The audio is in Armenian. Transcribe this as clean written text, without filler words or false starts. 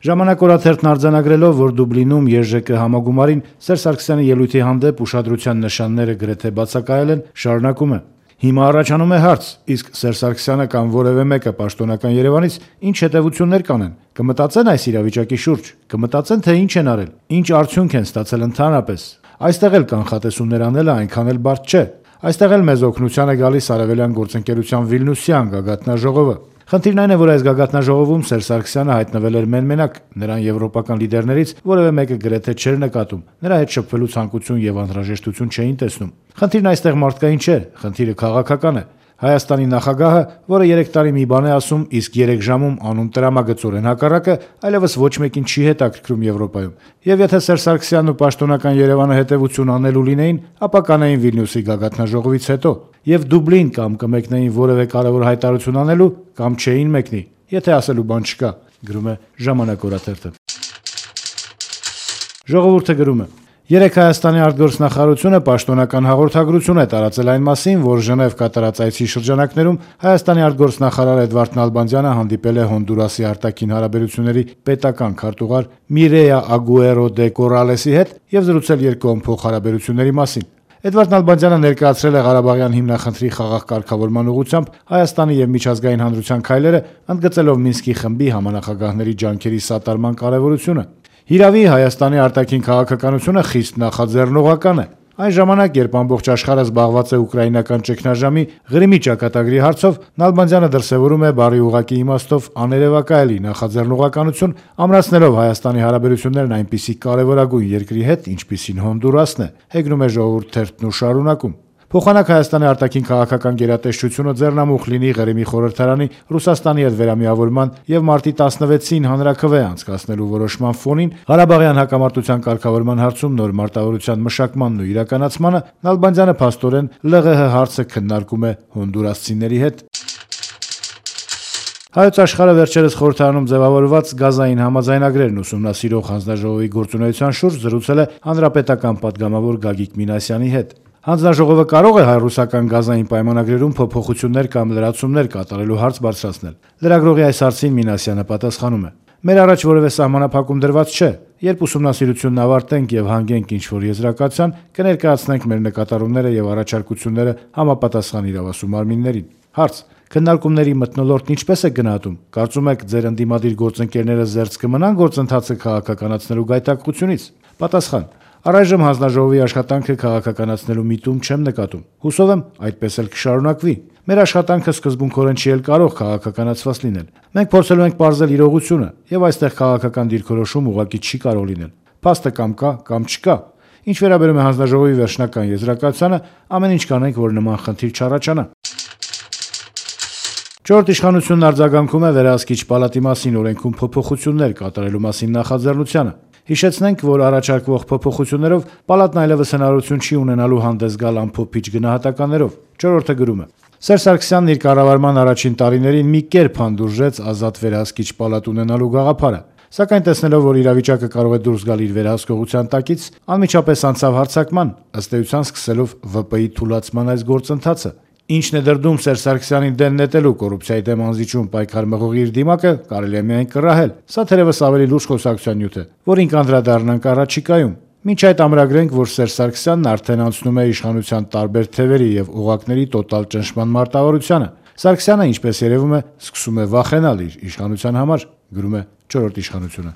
Ժամանակ օրաթերթն արձանագրելով, որ Դուբլինում ԵԺԿ համագումարին Սերժ Սարգսյանի ելույթի հանդեպ ուշադրության նշանները գրեթե բացակայել են, շարունակում է. Հիմա առաջանում է հարց, իսկ Սերժ Սարգսյանը կամ որևէ մեկը պաշտոնական Երևանից ինչ հետևություններ կանեն, կմտածեն այս իրավիճակի շուրջ, կմտածեն, թե ինչ են արել, ինչ արդյունք են ստացել ընդհանրապես։ Այստեղ էլ կանխատեսումներ անելը այնքան էլ բարդ չէ։ Այստեղ էլ մեզ օգնության է գալիս Արևելյան գործընկերության Վիլնյուսյան գագաթնաժողովը։ Խնդիրն այն է, որ այս գագաթնաժողովում Սերժ Սարգսյանը հայտնվել էր մենմենակ, նրան եվրոպական լիդերներից որևէ մեկը գրեթե չէր նկատում, նրա հետ շփվելու ցանկություն եւ անհրաժեշտություն չէին տեսնում։ Խնդիրն այստեղ մարդկային չէ, խնդիրը քաղաքական է։ Հայաստանի նախագահը, որը 3 տարի մի բան է ասում, իսկ 3 ժամում անում տրամագծորեն հակառակը, այլևս ոչ մեկին չի հետաքրքրում Եվրոպայում։ Եվ եթե Սերժ Սարգսյանն ու պաշտոնական Երևանը հետևություն անելու լինեին, ապա կանեին Վիլնյուսի գագաթնաժողովից հետո, եւ Դուբլին կամ կմեկնեին որևէ կարևոր հայտարարություն անելու, կամ չէին մեկնի, եթե ասելու բան չկա, գրում է Ժամանակ օրաթերթը։ Ժողովուրդը գրում է. Երեկ Հայաստանի արտգործնախարարությունը պաշտոնական հաղորդագրություն է տարածել այն մասին, որ Ժնև կատարած այցի շրջանակներում Հայաստանի արտգործնախարար Էդվարդ Նալբանդյանը հանդիպել է Հոնդուրասի արտաքին հարաբերությունների պետական քարտուղար Միրեյա Ագուերո դե Կորալեսի հետ եւ զրուցել երկկողմ փոխհարաբերությունների մասին։ Էդվարդ Նալբանդյանը ներկայացրել է Ղարաբաղյան հիմնախնդրի խաղաղ կարգավորման ուղղությամբ Հայաստանի եւ միջազգային հանրության քայլերը, ընդգծելով Մինսկի խմբի համանախագահների ջանքերի սատարման կարեւորությունը։ Հիրավի Հայաստանի արտաքին քաղաքականությունը խիստ նախաձեռնողական է։ Այն ժամանակ, երբ ամբողջ աշխարհը զբաղված է ուկրաինական ճգնաժամի Ղրիմի ճակատագրի հարցով, Նալբանդյանը դրսևորում է բառի ուղղակի իմաստով աներևակայելի նախաձեռնողականություն, ամրացնելով Հայաստանի հարաբերություններն այնպիսի կարևորագույն երկրի հետ, ինչպիսին Հոնդուրասն է, հեգնում է Ժողովուրդ թերթն ու շարունակում։ Փոխանակ Հայաստանի արտաքին քաղաքական գերատեսչությունը ձեռնամուխ լինի Ղրիմի խորհրդարանի Ռուսաստանի հետ վերամիավորման եւ մարտի 16-ին հանրաքվե անցկացնելու որոշման ֆոնին Ղարաբաղյան հակամարտության կարգավորման հարցում նոր մարտավարության մշակմանն ու իրականացմանը Նալբանդյանը փաստորեն ԼՂՀ հարցը քննարկում է հոնդուրասցիների հետ։ Հայոց աշխարհը վերջերս խորհրդարանում ձևավորված գազային համաձայնագրերն ուսումնասիրող հանձնաժողովի գործունեության շուրջ զրուցել է հանրապետական պատգամավոր Գագիկ Մինասյանի հետ։ Հանձնաժողովը կարող է հայ-ռուսական գազային պայմանագրերում փոփոխություններ կամ լրացումներ կատարելու հարց բարձրացնել։ Լրագրողի այս հարցին Մինասյանը պատասխանում է. Մեր առաջ որևէ սահմանափակում դրված չէ։ Երբ ուսումնասիրությունն ավարտենք եւ հանգենք ինչ-որ եզրակացության, կներկայացնենք մեր նկատառումները եւ առաջարկությունները համապատասխան իրավասու մարմիններին։ Հարց. Քննարկումների մթնոլորտն ինչպես է գնահատում։ Կարծում եք, ձեր ընդդիմադիր գործընկերները զերծ կմնան գործընթացը քաղաքականացնելու գայթակղությունից։ Պատասխան. Առայժմ հանձնաժողովի աշխատանքը քաղաքականացնելու միտում չեմ նկատում։ Հուսով եմ, այդպես էլ կշարունակվի։ Մեր աշխատանքը սկզբունքորեն չի էլ կարող քաղաքականացված լինել։ Մենք փորձելու ենք պարզել իրողությունը, եւ այստեղ քաղաքական դիրքորոշում ուղղակի չի կարող լինել։ Փաստը կամ կա, կամ չկա։ Ինչ վերաբերում է հանձնաժողովի վերջնական եզրակացությանը, ամեն ինչ կանենք, որ նման խնդիր չառաջանա։ Չորրորդ իշխանությունն արձագանքում է վերահսկիչ պալատի մասին օրենքում փոփոխություններ կատարելու մասին նախաձեռնությանը։ Հիշեցնենք, որ առաջարկվող փոփոխություններով պալատն այլևս հնարավորություն չի ունենալու հանդես գալ ամփոփիչ գնահատականներով։ Չորրորդը գրում է. Սերժ Սարգսյանն իր կառավարման առաջին տարիներին մի կերպ հանդուրժեց ազատ վերահսկիչ պալատ ունենալու գաղափարը, սակայն տեսնելով, որ իրավիճակը կարող է դուրս գալ իր վերահսկողության տակից, անմիջապես անցավ հարձակման, ըստ էության սկսելով ՎՊ-ի թուլացման այս գործընթացը։ Ինչն է դրդում Սերժ Սարգսյանին դեն նետելու կոռուպցիայի դեմ անզիջում պայքար մղողի իր դիմակը, կարելի է միայն կռահել։ Սա թերևս ավելի լուրջ խոսակցության նյութ է, որին կանդրադառնանք առաջիկայում։ Մինչ այդ ամրագրենք, որ Սերժ Սարգսյանն արդեն անցնում է իշխանության տարբեր թևերի եւ օղակների տոտալ ճնշման մարտավարությանը։ Սարգսյանը, ինչպես երևում է, սկսում է վախենալ իր իշխանության համար, գրում է Չորրորդ իշխանությունը։